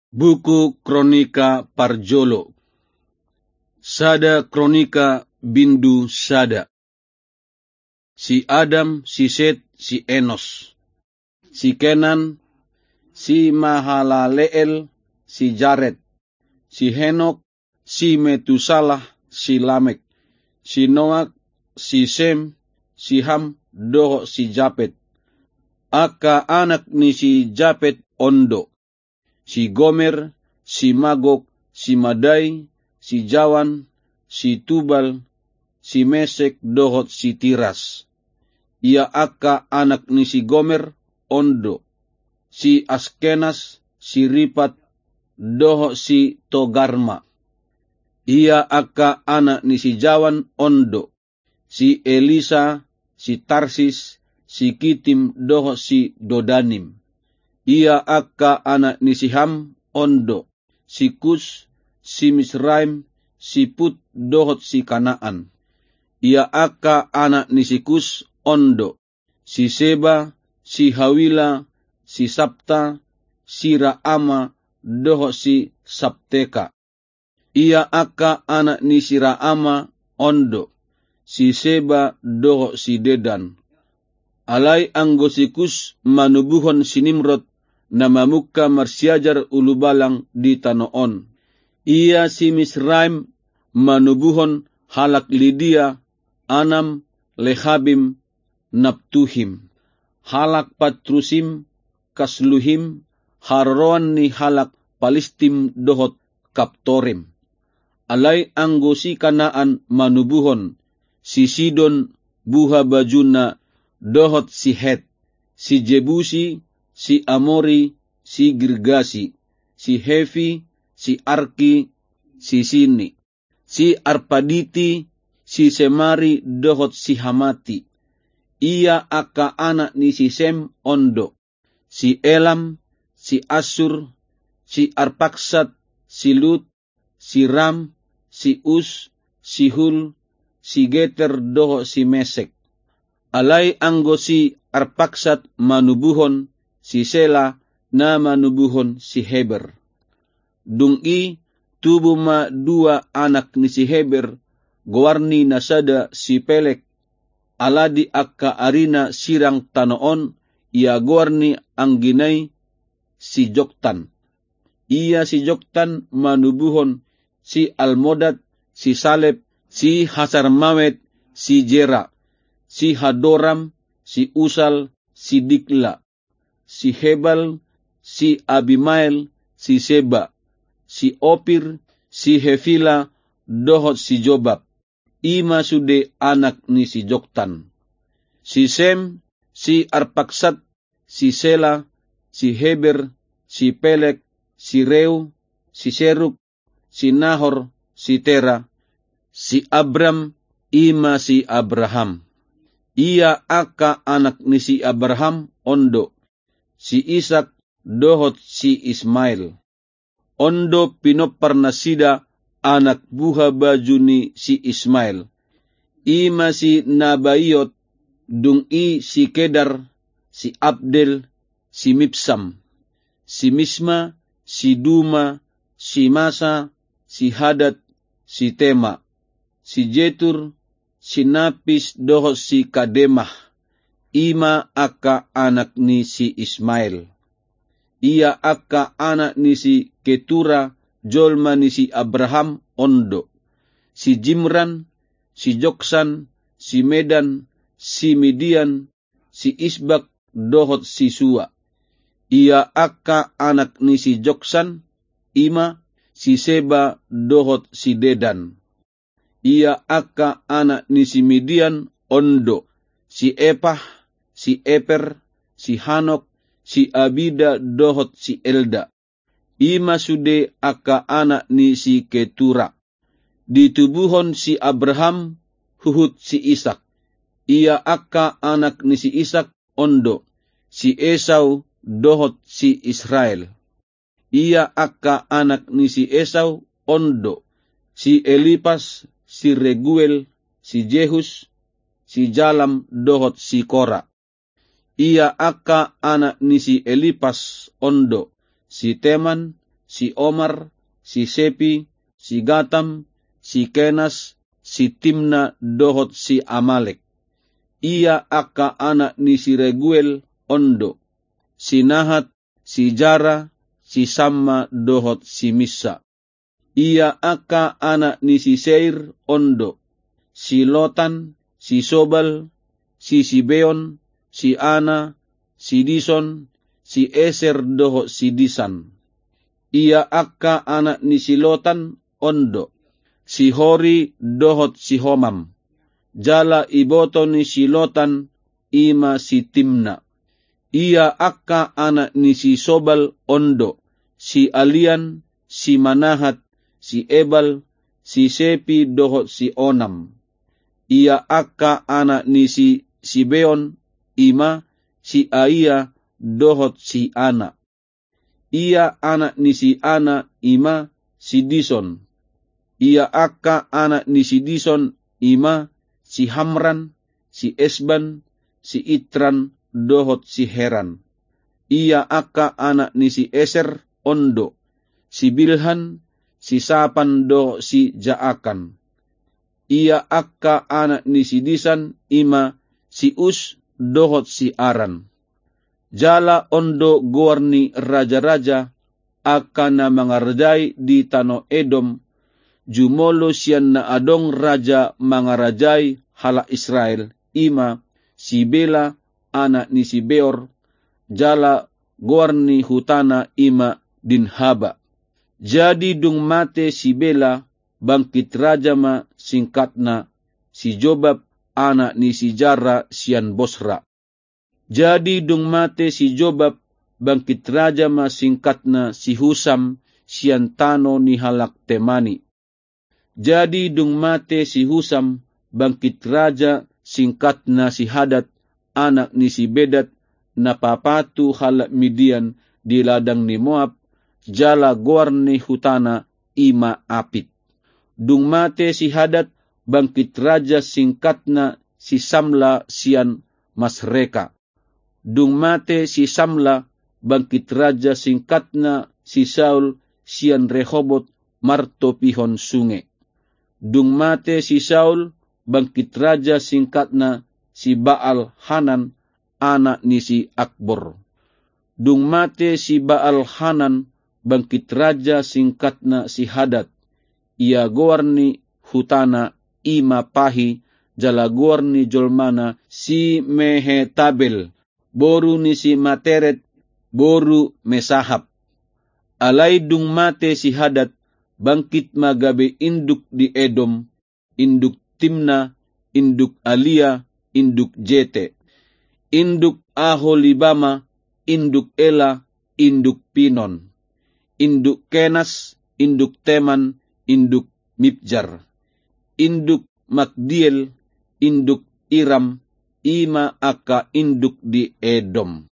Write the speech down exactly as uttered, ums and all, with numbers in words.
Buku Kronika parjolo. Sada Kronika bindu sada. Si Adam, si Set, si Enos, si Kenan, si Mahalaleel, si Jared, si Henok, si Metusalah, si Lamek, si Noak, si Sem, si Ham, dohot si Japet. Angka anak ni si Japet on do: si Gomer, si Magog, si Madai, si Jawan, si Tubal, si Mesek, dohot si Tiras. Ia angka anak ni si Gomer on do: si Askenas, si Ripat, dohot si Togarma. Ia angka anak ni si Jawan on do: si Elisa, si Tarsis, si Kitim, dohot si Dodanim. Ia angka anak ni si Ham on do: si Kus, si Misraim, si Put, dohot si Kanaan. Ia angka anak ni si Kus on do: si Seba, si Hawila, si Sabta, si Raama, dohot si Sabteka. Ia angka anak ni si Raama on do: si Seba dohot si Dedan. Alai anggo si Kus manubuhon si Nimrod, na mamungka marsiajar ulubalang di tano on. Ia si Misraim manubuhon halak Lidia, Anam, Lehabim, Naptuhim, halak Patrusim, Kasluhim, haroroan ni halak Palistim dohot Kaptorim. Alai anggo si Kanaan manubuhon si Sidon buhabajuna dohot si Het, si Jebusi, si Amori, si Girgasi, si Hevi, si Arki, si Sini, si Arpaditi, si Semari, dohot si Hamati. Ia angka anak ni si Sem on do: si Elam, si Assur, si Arpaksad, si Lut, si Ram, si Us, si Hul, si Geter, dohot si Mesek. Alai anggo si Arpaksad manubuhon si Sela, na manubuhon si Heber. Dung i tubu ma dua anak ni si Heber, goar ni na sada si Pelek, ala di angka arina sirang tano on, ia goar ni anggina i si Joktan. Ia si Joktan manubuhon si Almodad, si Salep, si Hasarmaet, si Jera, si Hadoram, si Usal, si Dikla, si Hebal, si Abimael, si Seba, si Opir, si Hevila, dohot si Jobab. I ma sude anak ni si Joktan. Si Sem, si Arpaksad, si Sela, si Heber, si Pelek, si Reu, si Seruk, si Nahor, si Tera, si Abram, i ma si Abraham. Ia angka anak ni si Abraham on do: si Isak dohot si Ismael. On do pinompar nasida anak buhabaju ni si Ismael. I ma si Nabaiot, dung i si Kedar, si Abdel, si Mibsam, si Misma, si Duma, si Masa, si Hadad, si Tema, si Jetur, si Napis dohot si Kademah. I ma angka anak ni si Ismael. Ia angka anak ni si Ketura, jolma ni si Abraham, on do: si Jimran, si Joksan, si Medan, si Midian, si Isbak, dohot si Sua. Ia angka anak ni si Joksan, i ma si Seba dohot si Dedan. Ia angka anak ni si Midian on do: si Epah, si Eper, si Hanok, si Abida, dohot si Elda. I ma sude angka anak ni si Ketura. Ditubuhon si Abraham huhut si Isak. Ia angka anak ni si Isak on do: si Esau dohot si Israel. Ia angka anak ni si Esau on do: si Elipas, si Reguel, si Jehus, si Jalam, dohot si Kora. Ia angka anak ni si Elipas on do: si Teman, si Omar, si Sepi, si Gatam, si Kenas, si Timna dohot si Amalek. Ia angka anak ni si Reguel on do: si Nahat, si Zara, si Samma dohot si Missa. Ia angka anak ni si Seir on do: si Lotan, si Sobal, si Sibeon, si Ana, si Dison, si Eser dohot si Disan. Ia angka anak ni si Lotan on do: si Hori dohot si Homam. Jala iboto ni si Lotan i ma si Timna. Ia angka anak ni si Sobal on do: si Alian, si Manahat, si Ebal, si Sepi dohot si Onam. Ia angka anak ni si Sibeon i ma si Aia dohot si Ana. Ia anak ni si Ana i ma si Dison. Ia angka anak ni si Dison i ma si Hamran, si Esban, si Itran dohot si Heran. Ia angka anak ni si Eser on do: si Bilhan, si Sapan dohot si Jaakan. Ia angka anak ni si Disan i ma si Us dohot si Aran. Jala on do goar ni rajaraja angka na mangarajai di tano Edom, jumolo sian na adong raja mangarajai halak Israel, i ma si Bela, anak ni si Beor, jala goar ni hutana i ma Dinhaba. Jadi dung mate si Bela, bangkit raja ma singkatna si Jobab, anak ni si Zara sian Bosra. Jadi dung mate si Jobab, bangkit raja ma singkatna si Husam sian tano ni halak Temani. Jadi dung mate si Husam, bangkit raja singkatna si Hadad, anak ni si Bedad, na papatu halak Midian di ladang ni Moab, jala goar ni hutana i ma Apit. Dung mate si Hadad, bangkit raja singkatna si Samla sian Masreka. Dung mate si Samla, bangkit raja singkatna si Saul sian Rehobot martopihon sunge. Dung mate si Saul, bangkit raja singkatna si Baal Hanan, anak ni si Akbor. Dung mate si Baal Hanan, bangkit raja singkatna si Hadad. Ia goar ni hutana i ma Pahi, jala goar ni jolmana si Mehetabel, boru ni si Materet, boru Mesahab. Alai dung mate si Hadad, bangkit ma gabe induk di Edom, induk Timna, induk Alia, induk Jete, induk Aholibama, induk Ela, induk Pinon, induk Kenas, induk Teman, induk Mibjar, induk Magdiel, induk Iram, i ma angka induk di Edom.